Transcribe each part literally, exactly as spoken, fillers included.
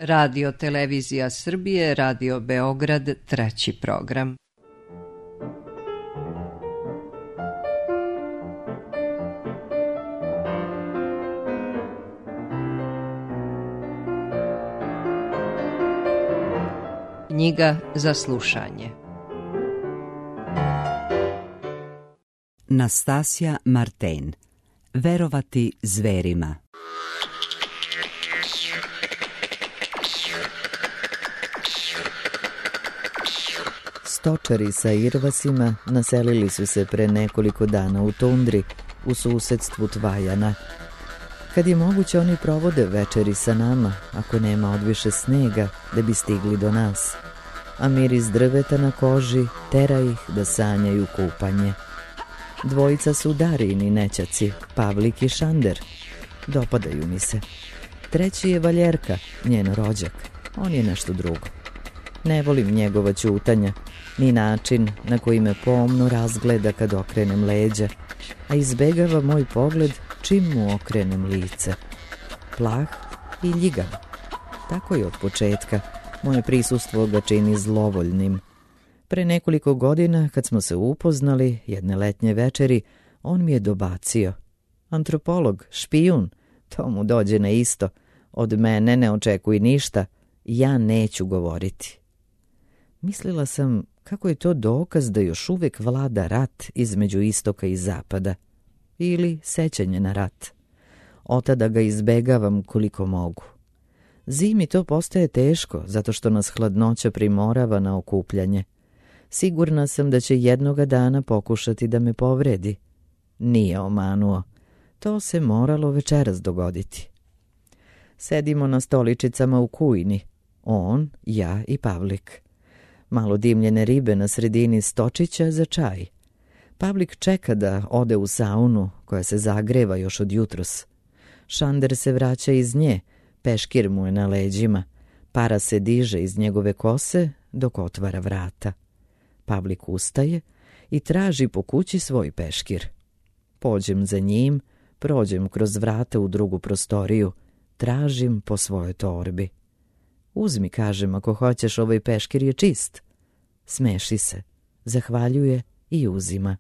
Radio Televizija Srbije, Radio Beograd, treći program. Knjiga za slušanje. Nastasja Marten. Verovati zverima. Stočari sa irvasima naselili su se pre nekoliko dana u tundri u susedstvu Tvajana. Kad je moguće, oni provode večeri sa nama, ako nema odviše snega, da bi stigli do nas. A miris drveta na koži tera ih da sanjaju kupanje. Dvojica su Darijini nećaci, Pavlik i Šander. Dopadaju mi se. Treći je Valjerka, njen rođak. On je nešto drugo. Ne volim njegova ćutanja, ni način na koji me pomno razgleda kad okrenem leđa, a izbegava moj pogled čim mu okrenem lice. Plah i ljigav. Tako je od početka. Moje prisustvo ga čini zlovoljnim. Pre nekoliko godina, kad smo se upoznali, jedne letnje večeri, on mi je dobacio. Antropolog, špijun, to mu dođe na isto. Od mene ne očekuj ništa, ja neću govoriti. Mislila sam kako je to dokaz da još uvek vlada rat između istoka i zapada. Ili sećanje na rat. Otada ga izbegavam koliko mogu. Zimi to postaje teško, zato što nas hladnoća primorava na okupljanje. Sigurna sam da će jednoga dana pokušati da me povredi. Nije omanuo. To se moralo večeras dogoditi. Sedimo na stoličicama u kujni. On, ja i Pavlik. Malo dimljene ribe na sredini stočića za čaj. Pavlik čeka da ode u saunu, koja se zagreva još od jutros. Šander se vraća iz nje, peškir mu je na leđima. Para se diže iz njegove kose dok otvara vrata. Pavlik ustaje i traži po kući svoj peškir. Pođem za njim, prođem kroz vrata u drugu prostoriju, tražim po svojoj torbi. Uzmi, kažem, ako hoćeš, ovaj peškir je čist. Smeši se, zahvaljuje i uzima.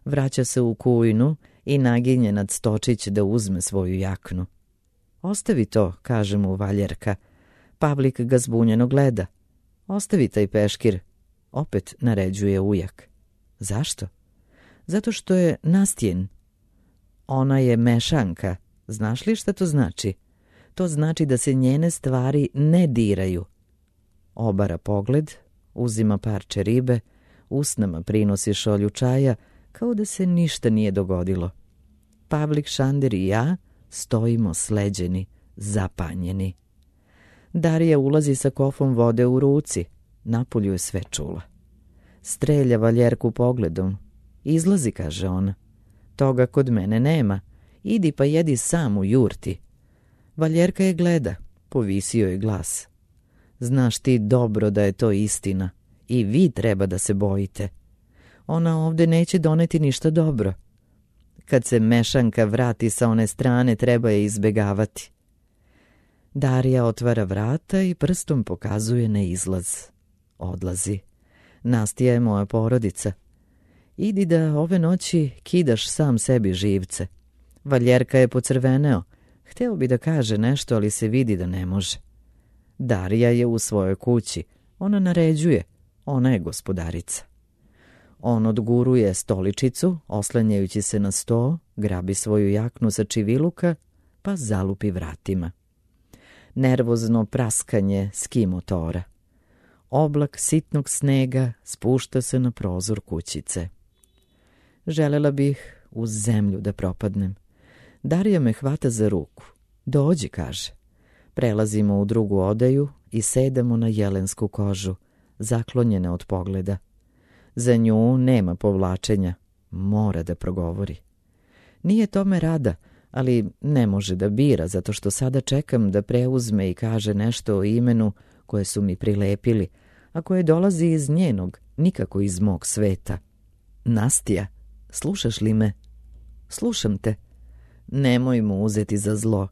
Vraća se u kujnu i naginje nad stočić da uzme svoju jaknu. Ostavi to, kaže mu Valjerka. Pavlik ga zbunjeno gleda. Ostavi taj peškir, opet naređuje ujak. Zašto? Zato što je Nastjen. Ona je mešanka. Znaš li šta to znači? To znači da se njene stvari ne diraju. Obara pogled, uzima parče ribe, usnama prinosi šolju čaja, kao da se ništa nije dogodilo. Pavlik, Šander i ja stojimo sleđeni, zapanjeni. Darija ulazi sa kofom vode u ruci. Napolju je sve čula. Strelja Valjerku pogledom. Izlazi, kaže ona. Toga kod mene nema. Idi pa jedi sam u jurti. Valjerka je gleda. Povisio je glas. Znaš ti dobro da je to istina. I vi treba da se bojite. Ona ovde neće doneti ništa dobro. Kad se mešanka vrati sa one strane, treba je izbegavati. Darija otvara vrata i prstom pokazuje na izlaz. Odlazi. Nastija je moja porodica. Idi da ove noći kidaš sam sebi živce. Valjerka je pocrveneo. Hteo bi da kaže nešto, ali se vidi da ne može. Darija je u svojoj kući. Ona naređuje. Ona je gospodarica. On odguruje stoličicu, oslanjajući se na sto, grabi svoju jaknu sa čiviluka, pa zalupi vratima. Nervozno praskanje ski motora. Oblak sitnog snega spušta se na prozor kućice. Želela bih u zemlju da propadnem. Darija me hvata za ruku. Dođi, kaže. Prelazimo u drugu odeju i sedamo na jelensku kožu, zaklonjene od pogleda. Za nju nema povlačenja. Mora da progovori. Nije tome rada, ali ne može da bira, zato što sada čekam da preuzme i kaže nešto o imenu koje su mi prilepili, a koje dolazi iz njenog, nikako iz mog sveta. Nastija, slušaš li me? Slušam te. Nemoj mu uzeti za zlo.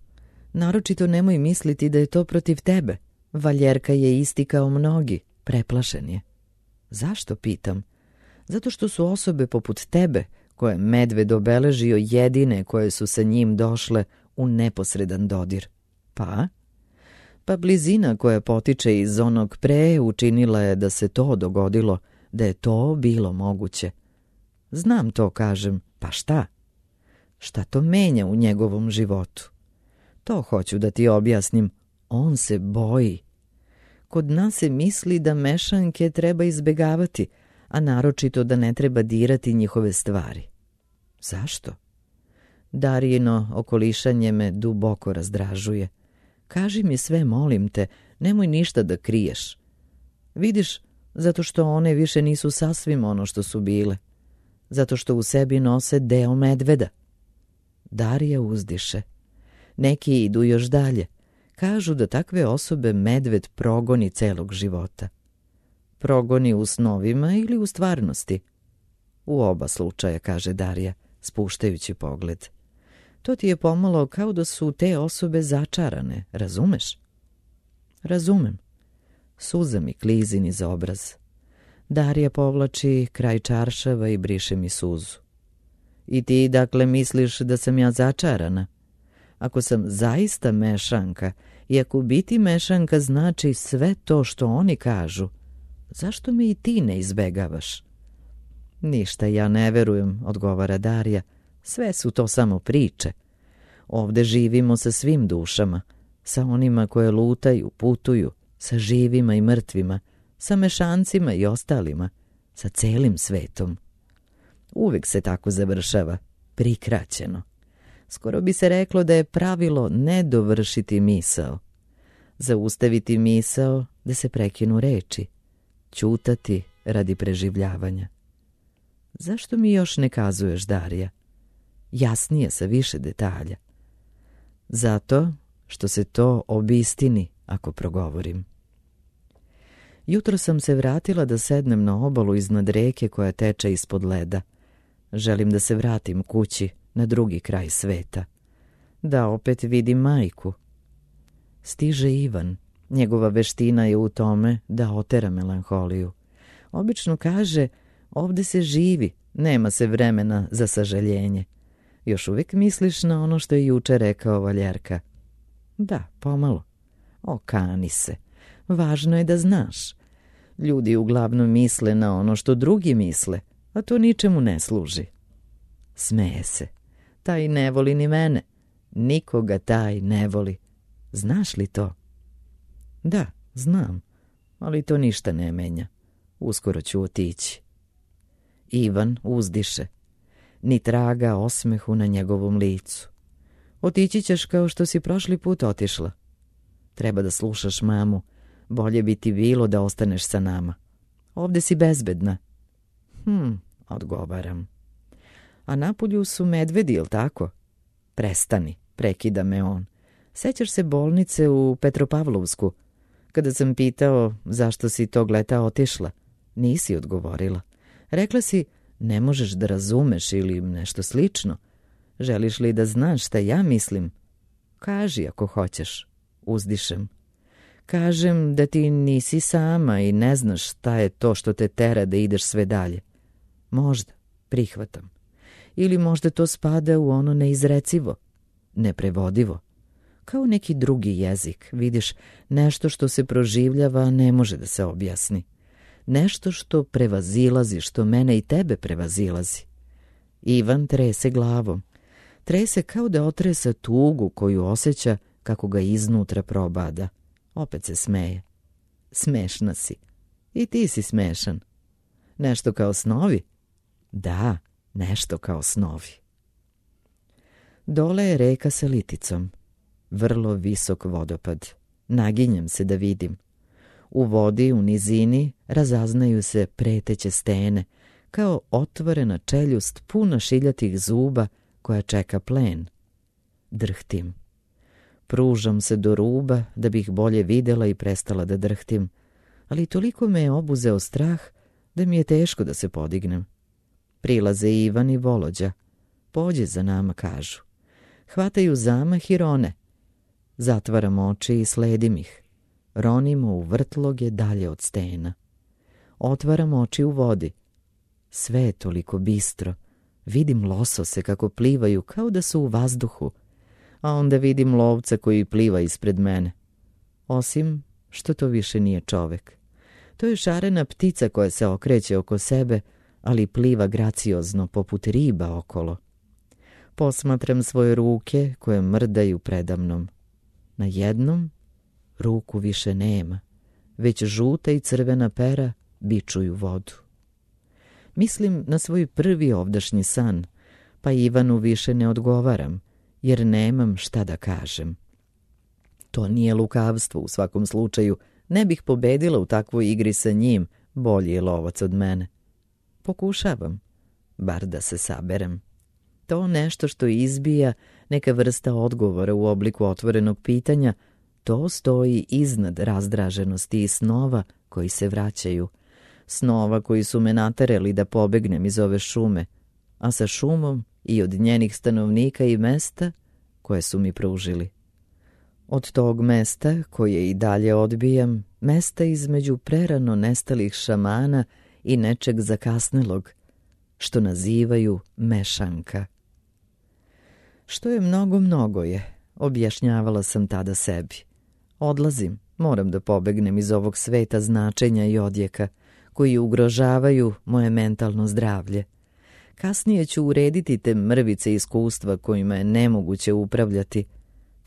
Naročito nemoj misliti da je to protiv tebe. Valjerka je isti kao mnogi, preplašen je. Zašto, pitam? Zato što su osobe poput tebe, koje medved obeležio, jedine koje su sa njim došle u neposredan dodir. Pa? Pa blizina koja potiče iz onog pre učinila je da se to dogodilo, da je to bilo moguće. Znam to, kažem, pa šta? Šta to menja u njegovom životu? To hoću da ti objasnim, on se boji. Kod nas se misli da mešanke treba izbegavati, a naročito da ne treba dirati njihove stvari. Zašto? Darijino okolišanje me duboko razdražuje. Kaži mi sve, molim te, nemoj ništa da kriješ. Vidiš, zato što one više nisu sasvim ono što su bile. Zato što u sebi nose deo medveda. Darija uzdiše. Neki idu još dalje. Kažu da takve osobe medved progoni celog života. Progoni u snovima ili u stvarnosti? U oba slučaja, kaže Darija, spuštajući pogled. To ti je pomalo kao da su te osobe začarane, razumeš? Razumem. Suza mi klizi niz obraz. Darija povlači kraj čaršava i briše mi suzu. I ti dakle misliš da sam ja začarana? Ako sam zaista mešanka i ako biti mešanka znači sve to što oni kažu, zašto me i ti ne izbegavaš? Ništa ja ne verujem, odgovara Darija. Sve su to samo priče. Ovde živimo sa svim dušama, sa onima koje lutaju, putuju, sa živima i mrtvima, sa mešancima i ostalima, sa celim svetom. Uvek se tako završava, prikraćeno. Skoro bi se reklo da je pravilo ne dovršiti misao. Zaustaviti misao da se prekinu reči. Ćutati radi preživljavanja. Zašto mi još ne kazuješ, Darija? Jasnije, sa više detalja. Zato što se to obistini ako progovorim. Jutro sam se vratila da sednem na obalu iznad reke koja teče ispod leda. Želim da se vratim kući, na drugi kraj sveta. Da opet vidim majku. Stiže Ivan. Njegova veština je u tome da otera melanholiju. Obično kaže, ovde se živi, nema se vremena za sažaljenje. Još uvijek misliš na ono što je juče rekao Valjerka? Da, pomalo. Okani se. Važno je da znaš. Ljudi uglavnom misle na ono što drugi misle, a to ničemu ne služi. Smeje se. Taj ne voli ni mene. Nikoga taj ne voli. Znaš li to? Da, znam, ali to ništa ne menja. Uskoro ću otići. Ivan uzdiše. Ni traga osmehu na njegovom licu. Otići ćeš kao što si prošli put otišla. Treba da slušaš mamu. Bolje bi ti bilo da ostaneš sa nama. Ovde si bezbedna. Hm, odgovaram. A napolju su medvedi, jel tako? Prestani, prekida me on. Sećaš se bolnice u Petropavlovsku? Kada sam pitao zašto si tog leta otišla, nisi odgovorila. Rekla si, ne možeš da razumeš ili nešto slično. Želiš li da znaš šta ja mislim? Kaži ako hoćeš, uzdišem. Kažem da ti nisi sama i ne znaš šta je to što te tera da ideš sve dalje. Možda, prihvatam. Ili možda to spada u ono neizrecivo, neprevodivo. Kao neki drugi jezik, vidiš, nešto što se proživljava ne može da se objasni. Nešto što prevazilazi, što mene i tebe prevazilazi. Ivan trese glavom. Trese kao da otresa tugu koju osjeća kako ga iznutra probada. Opet se smeje. Smešna si. I ti si smešan. Nešto kao snovi? Da, nešto kao snovi. Dole je reka sa liticom. Vrlo visok vodopad. Naginjem se da vidim. U vodi, u nizini, razaznaju se preteće stene, kao otvorena čeljust puna šiljatih zuba koja čeka plen. Drhtim. Pružam se do ruba da bih bolje videla i prestala da drhtim, ali toliko me je obuzeo strah da mi je teško da se podignem. Prilaze Ivan i Volođa. Pođi za nama, kažu. Hvataju zamah i rone. Zatvaram oči i sledim ih. Ronimo u vrtloge dalje od stena. Otvaram oči u vodi. Sve je toliko bistro. Vidim losose kako plivaju kao da su u vazduhu. A onda vidim lovca koji pliva ispred mene. Osim što to više nije čovek. To je šarena ptica koja se okreće oko sebe, ali pliva graciozno poput riba okolo. Posmatram svoje ruke koje mrdaju predamnom. Na jednom ruku više nema, već žuta i crvena pera bičuju vodu. Mislim na svoj prvi ovdašnji san, pa Ivanu više ne odgovaram, jer nemam šta da kažem. To nije lukavstvo u svakom slučaju, ne bih pobedila u takvoj igri sa njim, bolji je lovac od mene. Pokušavam, bar da se saberem. To nešto što izbija, neka vrsta odgovora u obliku otvorenog pitanja, to stoji iznad razdraženosti i snova koji se vraćaju. Snova koji su me naterali da pobegnem iz ove šume, a sa šumom i od njenih stanovnika i mesta koje su mi pružili. Od tog mesta, koje i dalje odbijam, mesta između prerano nestalih šamana i nečeg zakasnelog, što nazivaju mešanka. Što je mnogo, mnogo je, objašnjavala sam tada sebi. Odlazim, moram da pobegnem iz ovog sveta značenja i odjeka, koji ugrožavaju moje mentalno zdravlje. Kasnije ću urediti te mrvice iskustva kojima je nemoguće upravljati.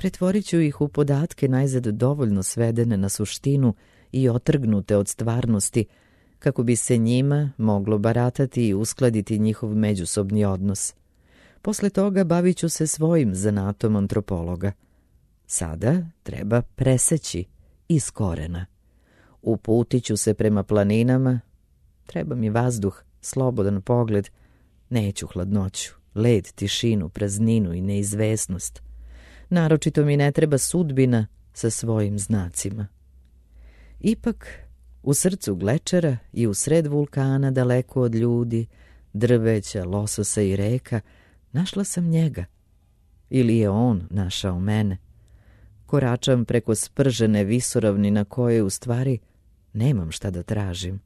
Pretvorit ću ih u podatke najzad dovoljno svedene na suštinu i otrgnute od stvarnosti, kako bi se njima moglo baratati i uskladiti njihov međusobni odnos. Posle toga bavit ću se svojim zanatom antropologa. Sada treba preseći iz korena. Uputit ću se prema planinama. Treba mi vazduh, slobodan pogled. Neću hladnoću, led, tišinu, prazninu i neizvesnost. Naročito mi ne treba sudbina sa svojim znacima. Ipak, u srcu glečera i u sred vulkana, daleko od ljudi, drveća, lososa i reka, našla sam njega. Ili je on našao mene. Koračam preko spržene visoravni na koje u stvari nemam šta da tražim.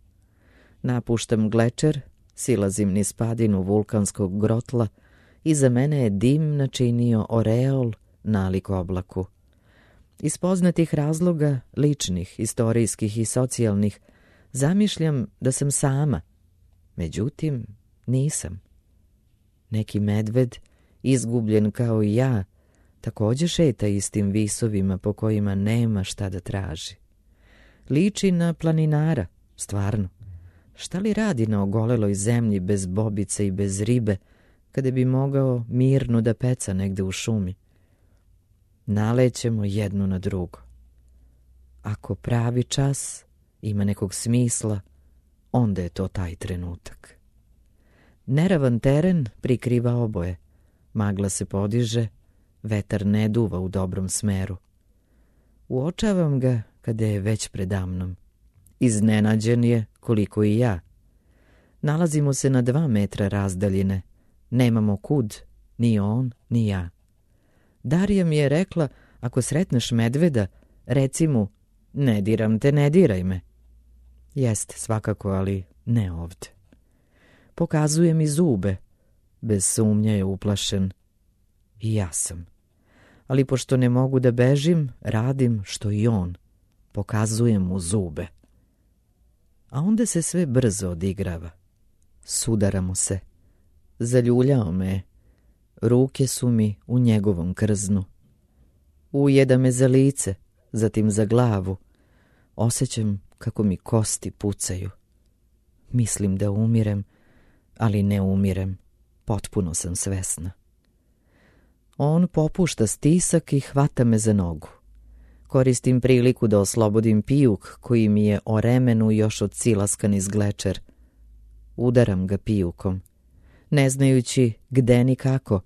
Napuštam glečer, silazim niz padinu vulkanskog grotla i za mene je dim načinio oreol nalik oblaku. Iz poznatih razloga, ličnih, istorijskih i socijalnih, zamišljam da sam sama. Međutim, nisam. Neki medved, izgubljen kao i ja, također šeta istim visovima po kojima nema šta da traži. Liči na planinara, stvarno. Šta li radi na ogoleloj zemlji bez bobice i bez ribe, kada bi mogao mirno da peca negde u šumi? Nalećemo jedno na drugo. Ako pravi čas ima nekog smisla, onda je to taj trenutak. Neravan teren prikriva oboje. Magla se podiže, vetar ne duva u dobrom smeru. Uočavam ga kada je već predamnom. Iznenađen je koliko i ja. Nalazimo se na dva metra razdaljine. Nemamo kud, ni on, ni ja. Darija mi je rekla, ako sretneš medveda, reci mu, ne diram te, ne diraj me. Jeste, svakako, ali ne ovde. Pokazuje mi zube. Bez sumnje je uplašen. I ja sam. Ali pošto ne mogu da bežim, radim što i on. Pokazujem mu zube. A onda se sve brzo odigrava. Sudaramo se. Zaljuljao me je. Ruke su mi u njegovom krznu. Ujeda me za lice, zatim za glavu. Osjećam kako mi kosti pucaju. Mislim da umirem, ali ne umirem. Potpuno sam svesna. On popušta stisak i hvata me za nogu. Koristim priliku da oslobodim pijuk koji mi je o remenu još odsilaskan iz glečer. Udaram ga pijukom, ne znajući gde ni kako,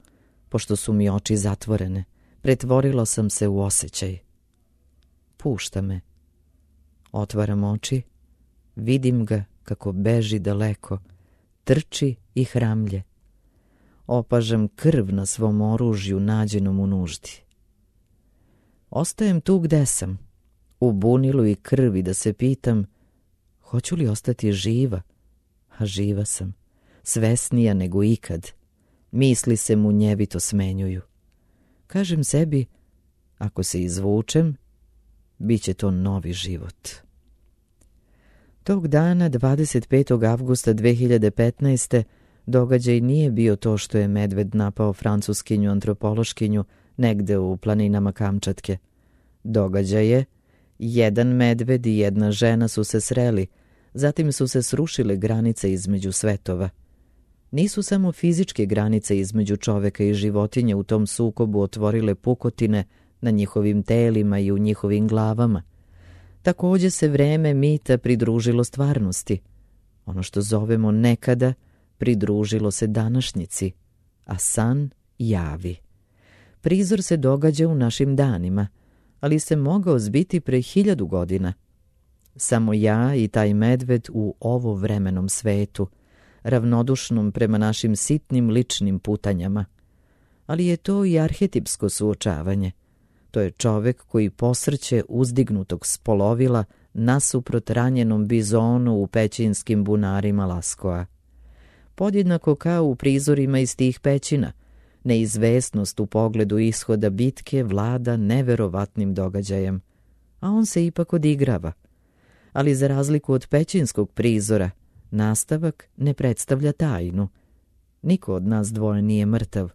pošto su mi oči zatvorene. Pretvorilo sam se u osjećaj. Pušta me. Otvaram oči, vidim ga kako beži daleko, trči i hramlje. Opažam krv na svom oružju nađenom u nuždi. Ostajem tu gde sam, u bunilu i krvi da se pitam hoću li ostati živa, a živa sam, svesnija nego ikad. Misli se munjevito smenjuju. Kažem sebi, ako se izvučem, bit će to novi život. Tog dana, dvadeset petog avgusta dve hiljade petnaeste. događaj nije bio to što je medved napao francuskinju antropološkinju negde u planinama Kamčatke. Događaj je, jedan medved i jedna žena su se sreli, zatim su se srušile granice između svetova. Nisu samo fizičke granice između čoveka i životinje u tom sukobu otvorile pukotine na njihovim telima i u njihovim glavama. Takođe se vreme mita pridružilo stvarnosti. Ono što zovemo nekada pridružilo se današnjici, a san javi. Prizor se događa u našim danima, ali se mogao zbiti pre hiljadu godina. Samo ja i taj medved u ovo vremenom svetu, ravnodušnom prema našim sitnim ličnim putanjama. Ali je to i arhetipsko suočavanje. To je čovek koji posrće uzdignutog spolovila nasuprot ranjenom bizonu u pećinskim bunarima Laskoa. Podjednako kao u prizorima iz tih pećina, neizvesnost u pogledu ishoda bitke vlada neverovatnim događajem, a on se ipak odigrava. Ali za razliku od pećinskog prizora, nastavak ne predstavlja tajnu. Niko od nas dvoje nije mrtav,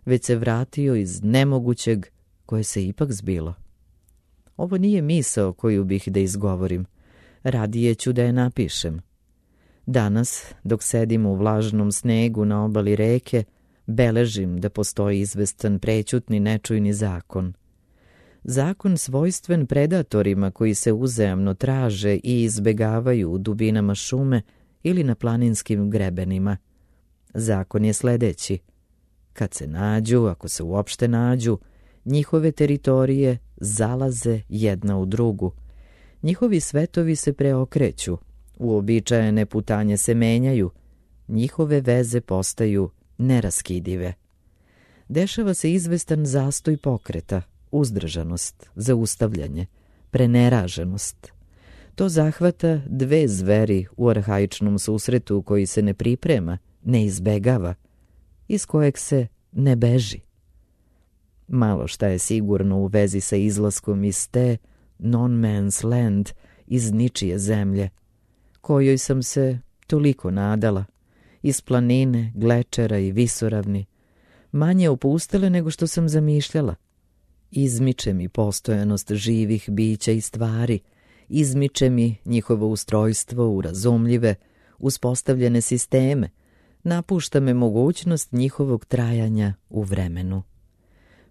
već se vratio iz nemogućeg koje se ipak zbilo. Ovo nije misao koju bih da izgovorim, radije ću da je napišem. Danas, dok sedim u vlažnom snegu na obali reke, beležim da postoji izvestan prećutni nečujni zakon. Zakon svojstven predatorima koji se uzajamno traže i izbegavaju u dubinama šume ili na planinskim grebenima. Zakon je sledeći. Kad se nađu, ako se uopšte nađu, njihove teritorije zalaze jedna u drugu. Njihovi svetovi se preokreću, uobičajene putanje se menjaju, njihove veze postaju neraskidive. Dešava se izvestan zastoj pokreta, uzdržanost, zaustavljanje, preneraženost. To zahvata dve zveri u arhaičnom susretu koji se ne priprema, ne izbegava, iz kojeg se ne beži. Malo šta je sigurno u vezi sa izlaskom iz te non-man's land, iz ničije zemlje, kojoj sam se toliko nadala, iz planine, glečera i visoravni, manje opustele nego što sam zamišljala. Izmiče mi postojanost živih bića i stvari, izmiče mi njihovo ustrojstvo u razumljive, uspostavljene sisteme, napušta me mogućnost njihovog trajanja u vremenu.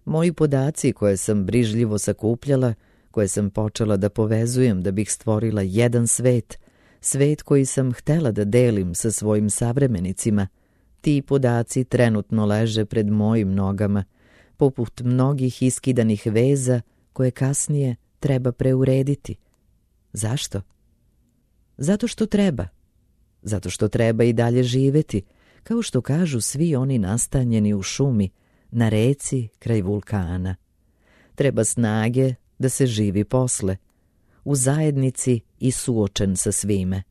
Moji podaci koje sam brižljivo sakupljala, koje sam počela da povezujem da bih stvorila jedan svet, svet koji sam htela da delim sa svojim savremenicima, ti podaci trenutno leže pred mojim nogama, poput mnogih iskidanih veza koje kasnije treba preurediti. Zašto? Zato što treba. Zato što treba i dalje živeti, kao što kažu svi oni nastanjeni u šumi, na reci kraj vulkana. Treba snage da se živi posle, u zajednici i suočen sa svime.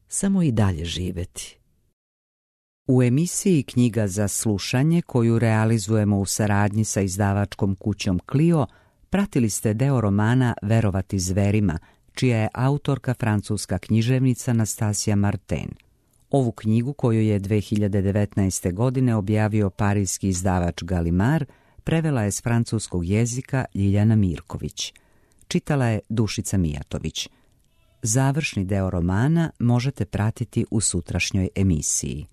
Samo i dalje živeti. U emisiji Knjiga za slušanje, koju realizujemo u saradnji sa izdavačkom kućom Clio, pratili ste deo romana Verovati zverima, čija je autorka francuska književnica Nastasija Martin. Ovu knjigu, koju je dve hiljade devetnaeste. godine objavio parijski izdavač Gallimard, prevela je s francuskog jezika Ljiljana Mirković. Čitala je Dušica Mijatović. Završni deo romana možete pratiti u sutrašnjoj emisiji.